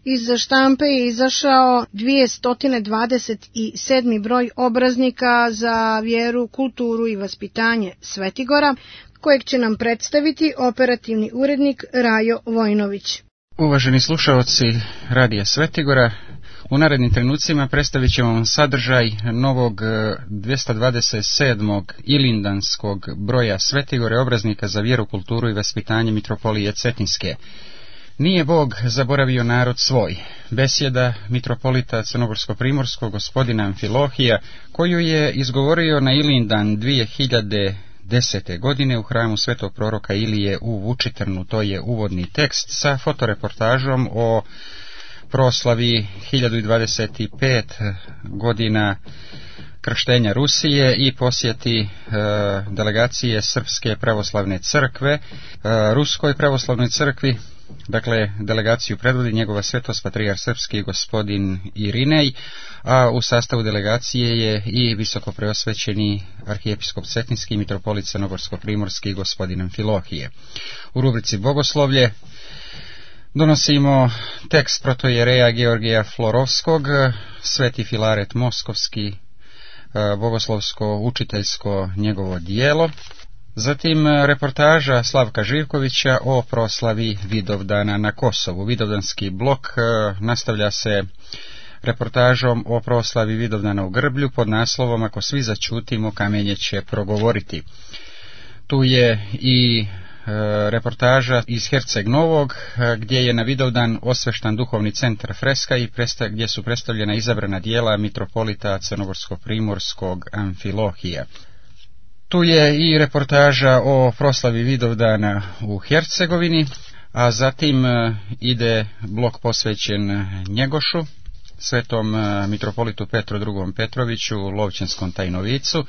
Iz štampe je izašao 227. broj obraznika za vjeru, kulturu i vaspitanje Svetigora, kojeg će nam predstaviti operativni urednik Rajo Vojnović. Uvaženi slušaoci Radija Svetigora, u narednim trenucima predstavit ćemo vam sadržaj novog 227. ilindanskog broja Svetigore obraznika za vjeru, kulturu i vaspitanje mitropolije Cetinske. Nije Bog zaboravio narod svoj. Besjeda mitropolita Crnogorsko-primorskog gospodina Amfilohija, koju je izgovorio na Ilindan 2010. godine u hramu svetog proroka Ilije u Vučitrnu. To je uvodni tekst sa fotoreportažom o proslavi 1025 godina krštenja Rusije i posjeti delegacije Srpske pravoslavne crkve Ruskoj pravoslavnoj crkvi. Dakle, delegaciju predvodi njegova svetost patrijarh srpski gospodin Irinej, a u sastavu delegacije je i visoko preosvećeni arhijepiskop Cetinski mitropolit Crnogorsko-primorski gospodin Amfilohije. U rubrici Bogoslovlje donosimo tekst protojereja Georgija Florovskog, Sveti Filaret Moskovski, bogoslovsko-učiteljsko njegovo dijelo. Zatim reportaža Slavka Živkovića o proslavi Vidovdana na Kosovu. Vidovdanski blok nastavlja se reportažom o proslavi Vidovdana u Grblju pod naslovom Ako svi začutimo, kamenje će progovoriti. Tu je i reportaža iz Herceg Novog, gdje je na Vidovdan osveštan duhovni centar Freska i gdje su predstavljena izabrana dijela mitropolita Crnogorsko-primorskog Amfilohija. Tu je i reportaža o proslavi Vidovdana u Hercegovini, a zatim ide blok posvećen Njegošu, svetom mitropolitu Petru II. Petroviću u Lovćenskom Tajnovicu.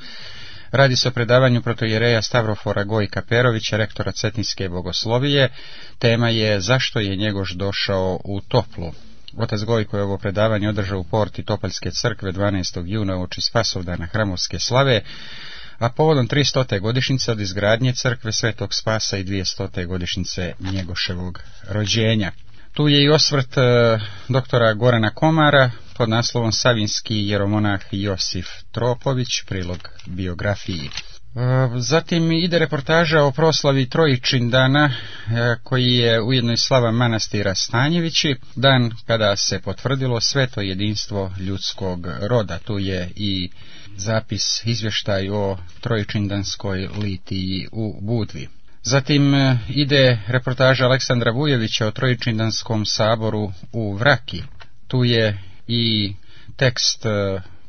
Radi se o predavanju protojereja Stavrofora Gojka Perovića, rektora Cetinske bogoslovije. Tema je Zašto je Njegoš došao u Toplu. Otac Gojko je ovo predavanje održao u porti Topaljske crkve 12. juna uoči Spasovdana hramovske slave, a povodom 300. godišnjice od izgradnje crkve Svetog Spasa i 200. godišnjice Njegoševog rođenja. Tu je i osvrt doktora Gorana Komara pod naslovom Savinski jeromonah Josif Tropović, prilog biografiji. Zatim ide reportaža o proslavi Trojičindana, koji je ujedno i slava manastira Stanjevići, dan kada se potvrdilo sveto jedinstvo ljudskog roda. Tu je i zapis, izvještaj o Trojičindanskoj litiji u Budvi. Zatim ide reportaža Aleksandra Vujevića o Trojičindanskom saboru u Vraki. Tu je i tekst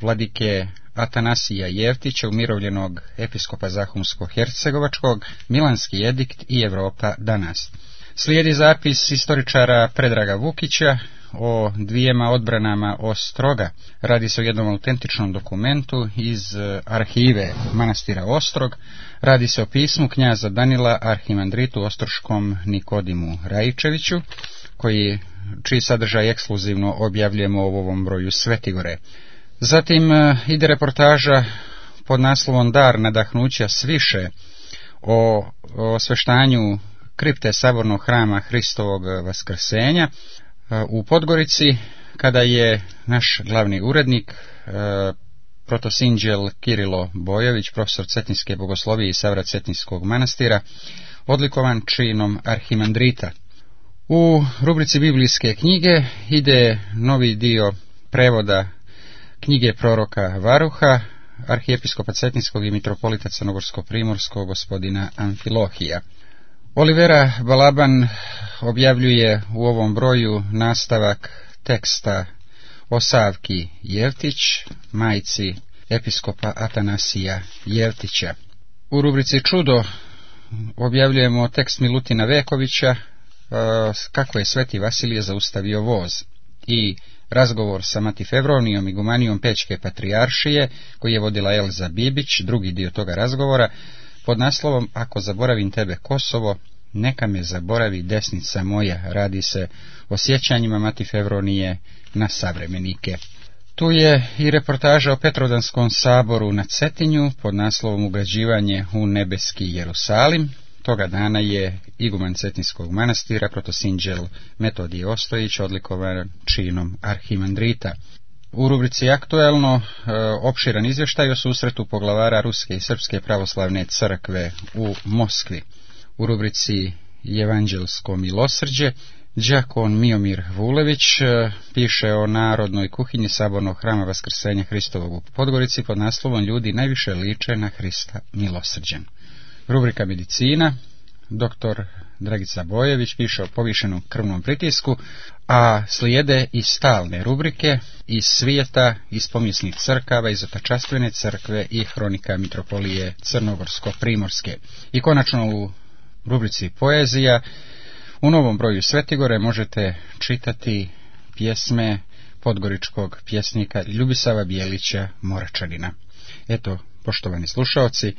vladike Atanasija Jevtića, umirovljenog episkopa Zahumsko-hercegovačkog, Milanski edikt i Evropa danas. Slijedi zapis istoričara Predraga Vukića o dvijema odbranama Ostroga. Radi se o jednom autentičnom dokumentu iz arhive manastira Ostrog. Radi se o pismu knjaza Danila arhimandritu ostroškom Nikodimu Rajičeviću, čiji sadržaj ekskluzivno objavljujemo u ovom broju Svetigore. Zatim ide reportaža pod naslovom Dar nadahnuća sviše o osveštanju kripte sabornog hrama Hristovog vaskrsenja u Podgorici, kada je naš glavni urednik, protosinđel Kirilo Bojović, profesor Cetinske bogoslovije i Savrat Cetinskog manastira, odlikovan činom arhimandrita. U rubrici Biblijske knjige ide novi dio prevoda knjige proroka Varuha, arhijepiskopa Cetinskog i mitropolita Crnogorsko-primorskog gospodina Amfilohija. Olivera Balaban objavljuje u ovom broju nastavak teksta o Savki Jevtić, majci episkopa Atanasija Jevtića. U rubrici Čudo objavljujemo tekst Milutina Vekovića, kako je Sveti Vasilije zaustavio voz, i razgovor sa Mati Fevronijom i gumanijom Pećke patrijaršije, koji je vodila Elza Bibić, drugi dio toga razgovora, pod naslovom Ako zaboravim tebe Kosovo, neka me zaboravi desnica moja. Radi se o sjećanjima Mati Fevronije na savremenike. Tu je i reportaža o Petrovdanskom saboru na Cetinju pod naslovom Ugrađivanje u nebeski Jerusalim. Toga dana je iguman Cetinskog manastira protosinđel Metodije Ostojić odlikovan činom arhimandrita. U rubrici Aktuelno opširan izvještaj o susretu poglavara Ruske i Srpske pravoslavne crkve u Moskvi. U rubrici Evanđelsko milosrđe đakon Miomir Vulević piše o narodnoj kuhinji Sabornog hrama Vaskrsenja Hristovog u Podgorici pod naslovom Ljudi najviše liče na Hrista milosrđen. Rubrika Medicina, dr. Dragica Bojević piše o povišenom krvnom pritisku, a slijede i stalne rubrike iz svijeta, iz pomijesnih crkava, iz Otačastvene crkve i hronika Mitropolije Crnogorsko-Primorske. I konačno u rubrici Poezija u novom broju Svetigore možete čitati pjesme podgoričkog pjesnika Ljubisava Bijelića Moračanina. Eto, poštovani slušaoci,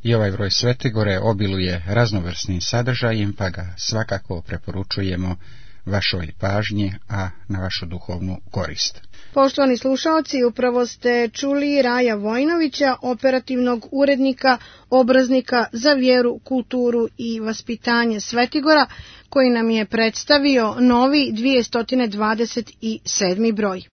i ovaj broj Svetigore obiluje raznovrsnim sadržajem, pa ga svakako preporučujemo vašoj pažnji, a na vašu duhovnu korist. Poštovani slušaoci, upravo ste čuli Raja Vojnovića, operativnog urednika, obraznika za vjeru, kulturu i vaspitanje Svetigora, koji nam je predstavio novi 227. broj.